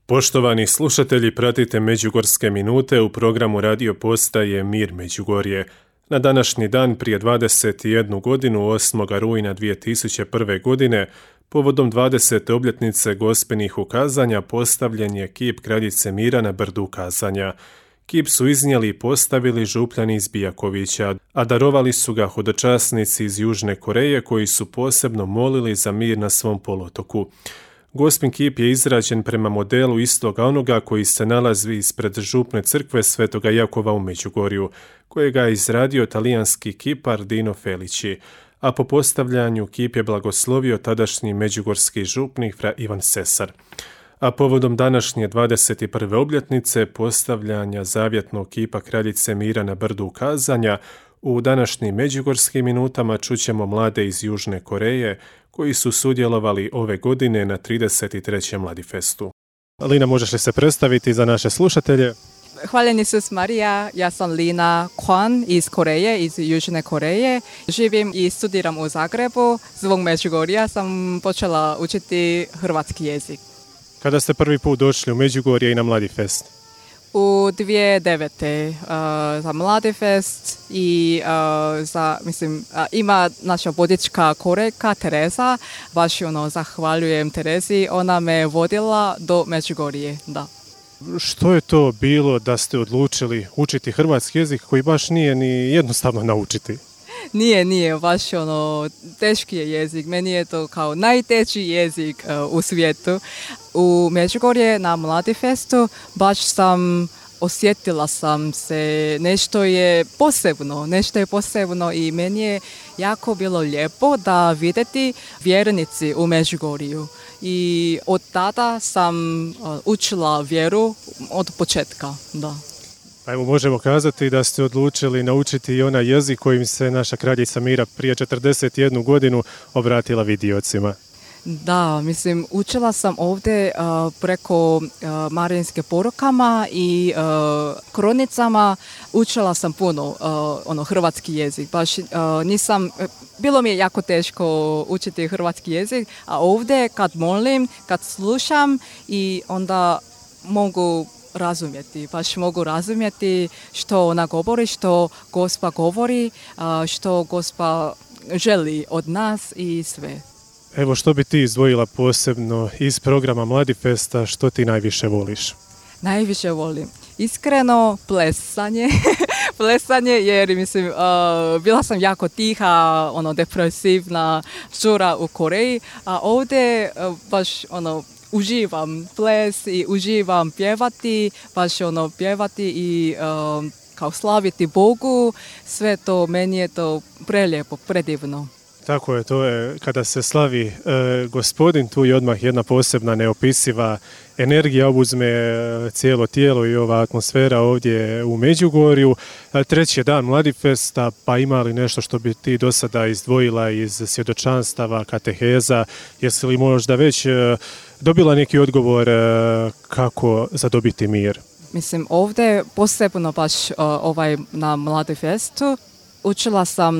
Poštovani slušatelji, pratite Međugorske minute u programu radio postaje Mir Međugorje. Na današnji dan prije 21 godinu, 8. rujna 2001. godine, povodom 20. obljetnice Gospenih ukazanja, postavljen je kip Kraljice Mira na brdu ukazanja. Kip su iznijeli i postavili župljani iz Bijakovića, a darovali su ga hodočasnici iz Južne Koreje koji su posebno molili za mir na svom poluotoku. Gospin kip je izrađen prema modelu istoga onoga koji se nalazi ispred župne crkve Svetoga Jakova u Međugorju, kojega je izradio talijanski kipar Dino Felici, a po postavljanju kip je blagoslovio tadašnji međugorski župnik fra Ivan Sesar. A povodom današnje 21. obljetnice postavljanja zavjetnog kipa Kraljice Mira na brdu ukazanja, u današnjim Međugorskim minutama čućemo mlade iz Južne Koreje koji su sudjelovali ove godine na 33. Mladifestu. Lina, možeš li se predstaviti za naše slušatelje? Hvala Isus Marija, ja sam Lina Kwan iz Koreje, iz Južne Koreje. Živim i studiram u Zagrebu. Zbog Međugorja sam počela učiti hrvatski jezik. Kada ste prvi put došli u Međugorje i na Mladifest? U 2009. Za Mladifest i ima naša vodička Korejka Tereza. Baš zahvaljujem Terezi, ona me vodila do Međugorje. Da. Što je to bilo da ste odlučili učiti hrvatski jezik koji baš nije ni jednostavno naučiti? Nije, baš teški je jezik. Meni je to kao najteži jezik u svijetu. U Međugorje na Mladifestu baš osjetila sam se, nešto je posebno i meni je jako bilo lijepo da vidjeti vjernici u Međugorju. I od tada sam učila vjeru od početka, da. Evo, možemo kazati da ste odlučili naučiti i onaj jezik kojim se naša Kraljica Mira prije 41 godinu obratila vidiocima. Da, učila sam ovdje preko marijinske porukama i kronicama, učila sam puno hrvatski jezik. Baš bilo mi je jako teško učiti hrvatski jezik, a ovdje kad molim, kad slušam i onda mogu razumjeti što ona govori, što Gospa govori, što Gospa želi od nas i sve. Evo, što bi ti izdvojila posebno iz programa Mladifesta, što ti najviše voliš? Najviše volim iskreno plesanje. Plesanje jer bila sam jako tiha, depresivna žura u Koreji, a ovdje baš uživam ples i uživam pjevati, pjevati i kao slaviti Bogu. Sve to, meni je to prelijepo, predivno. Tako je, to je kada se slavi Gospodin, tu je odmah jedna posebna neopisiva energija obuzme cijelo tijelo i ova atmosfera ovdje u Međugorju. Treći je dan Mladifesta, pa ima li nešto što bi ti do sada izdvojila iz svjedočanstava, kateheza? Jesi li možda već dobila neki odgovor kako zadobiti mir? Ovdje posebno baš na Mladifestu učila sam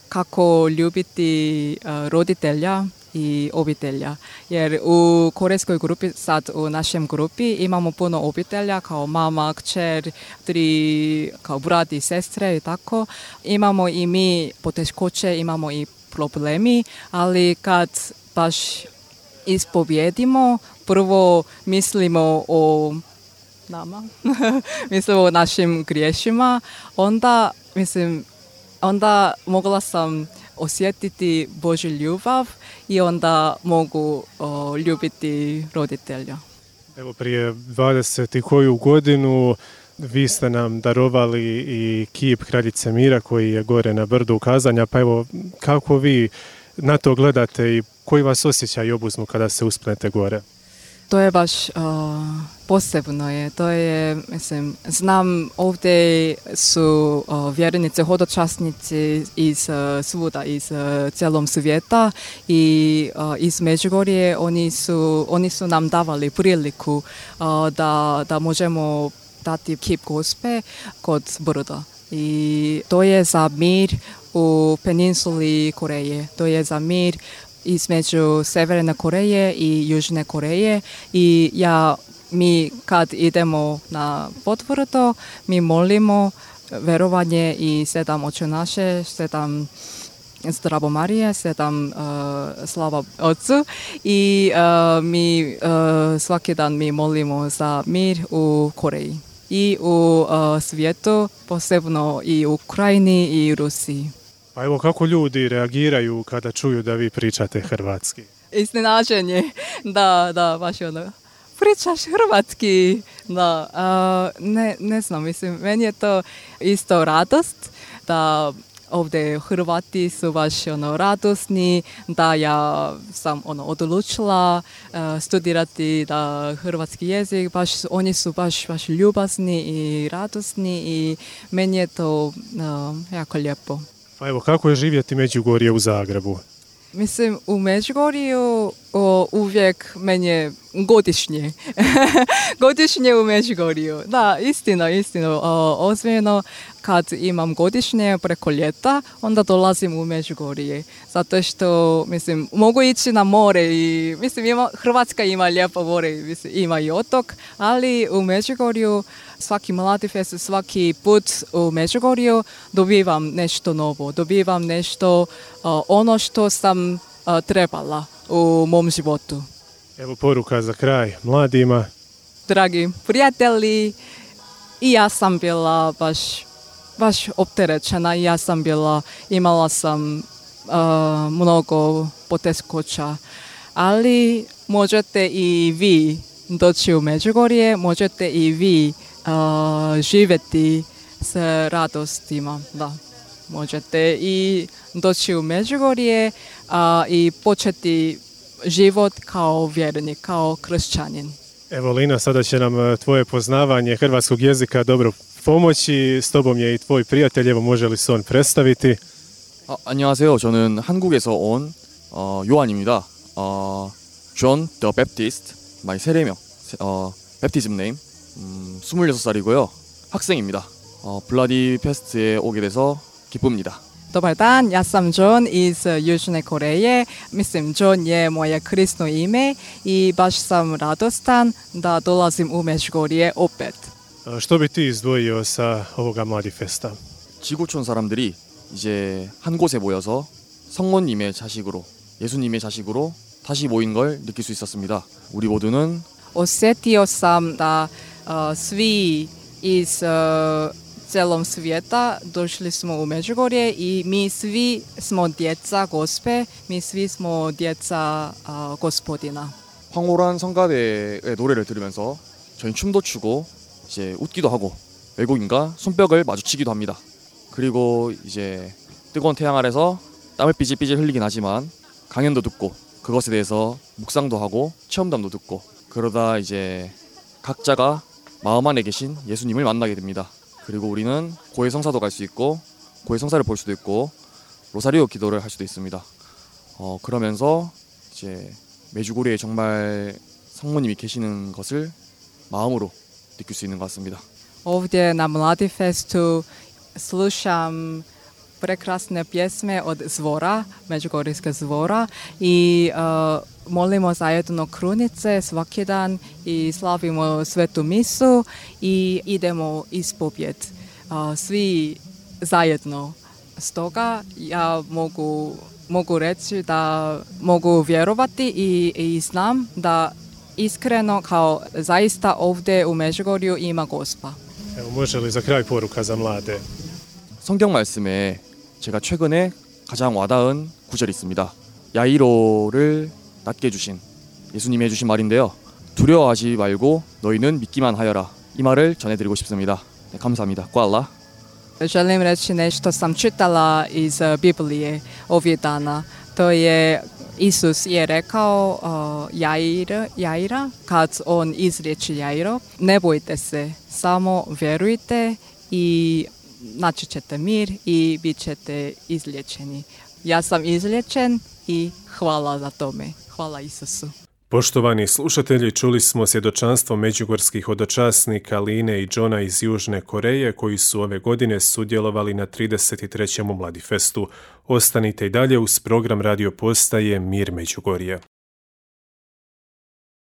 kako ljubiti roditelja i obitelja. Jer u korejskoj grupi, sad u našem grupi, imamo puno obitelja kao mama, kćer, 3 kao brat i sestre i tako. Imamo i mi poteškoće, imamo i problemi, ali kad baš ispovjedimo, prvo mislimo o nama, mislimo o našim griješima, onda mogla sam osjetiti Božju ljubav i onda mogu ljubiti roditelja. Evo, prije 20 i koju godinu vi ste nam darovali i kip Kraljice Mira koji je gore na brdu ukazanja, pa evo, kako vi na to gledate i koji vas osjećaj obuzmu kada se uspnete gore? To je baš posebno je. To je, znam ovdje su vjernici, hodočasnici iz svuda, iz cijelom svijeta i iz Međugorje. Oni su nam davali priliku da možemo dati kip Gospe kod brda. I to je za mir u peninsuli Koreje. To je za mir između Sjeverne Koreje i Južne Koreje i ja mi kad idemo na potvrdo, mi molimo verovanje i 7 Oče naše, 7 Zdravo Marije, 7 Slava Otcu i mi svaki dan mi molimo za mir u Koreji i u svijetu, posebno i u Ukrajini i Rusiji. Pa evo kako ljudi reagiraju kada čuju da vi pričate hrvatski? Iznenađenje, da, baš ono. Pričaš hrvatski, da, ne znam, mislim, meni je to isto radost, da ovdje Hrvati su baš radosni, da ja sam odlučila studirati da hrvatski jezik, oni su baš ljubazni i radosni i meni je to jako lijepo. Pa evo, kako je živjeti Međugorje u Zagrebu? Mislim, u Međugorju uvijek meni je godišnje. Godišnje u Međugorju. Da, istina. Ozbiljno, kad imam godišnje preko ljeta, onda dolazim u Međugorje. Zato što, mislim, mogu ići na more i, mislim, Hrvatska ima lijepo more, mislim, ima i otok, ali u Međugorju svaki mladi fest, svaki put u Međugorju dobivam nešto novo, dobivam nešto ono što sam trebala u mom životu. Evo poruka za kraj mladima. Dragi prijatelji, i ja sam bila baš opterećena, imala sam mnogo poteškoća, ali možete i vi doći u Međugorje, možete i vi živjeti s radostima, da. Možete i doći u Međugorje i početi život kao vjernik, kao kršćanin. Evo Lina, sada će nam tvoje poznavanje hrvatskog jezika dobro pomoći. S tobom je i tvoj prijatelj, evo može li se on predstaviti? 안녕하세요. 저는 한국에서 온 요한입니다. John the Baptist, my 세례명, baptism name, 26살이고요. 학생입니다. 블라디 페스트에 오게 돼서 기쁩니다. Dobar dan, ja sam John iz Južne Koreje. Mislim, John je moje krisno ime i baš sam radostan da dolazim u Međugorje opet. Što bi ti izdvojio sa ovoga Mladifesta? 지구촌 사람들이 이제 한 곳에 모여서 성모님의 자식으로, 예수님의 자식으로 다시 모인 걸 느낄 수 있었습니다. 우리 모두는 Osjetio sam da svi iz celom svijeta došli smo u Međugorje i mi svi smo djeca Gospe, mi svi smo djeca Gospodina. 황홀한 성가대의 노래를 들으면서 저희 춤도 추고 이제 웃기도 하고 외국인과 손뼉을 마주치기도 합니다. 그리고 이제 뜨거운 태양 아래서 땀을 삐질삐질 흘리긴 하지만 강연도 듣고 그것에 대해서 묵상도 하고 체험담도 듣고 그러다 이제 각자가 마음 안에 계신 예수님을 만나게 됩니다. 그리고 우리는 고해 성사도 갈 수 있고 고해 성사를 볼 수도 있고 로사리오 기도를 할 수도 있습니다. 그러면서 이제 메주고리에 정말 성모님이 계시는 것을 마음으로 느낄 수 있는 것 같습니다. Ovdje na Mladifestu slušam prekrasne pjesme od Zvora, Međugorjske Zvora i molimo zajedno krunice svaki dan i slavimo svetu misu i idemo ispovjed svi zajedno. Stoga ja mogu reći da mogu vjerovati i znam da iskreno kao zaista ovdje u Međugorju ima Gospa. Evo, može li za kraj poruka za mlade? 성경 말씀에 제가 최근에 가장 와닿은 구절이 있습니다. 야이로를 낫게 해주신 예수님이 해주신 말인데요. 두려워하지 말고 너희는 믿기만 하여라. 이 말을 전해드리고 싶습니다. 네, 감사합니다. 꽈라. Želim reći nešto sam čitala iz Biblije ovih dana. To je Isus je rekao Jaira, kad on izriječi Jairo, ne bojte se, samo vjerujte i naći ćete mir i bit ćete izliječeni. Ja sam izliječen i hvala za tome. Hvala Isusu. Poštovani slušatelji, čuli smo svjedočanstvo međugorskih hodočasnika Line i Johna iz Južne Koreje koji su ove godine sudjelovali na 33. Mladifestu. Ostanite i dalje uz program radio postaje Mir Međugorje.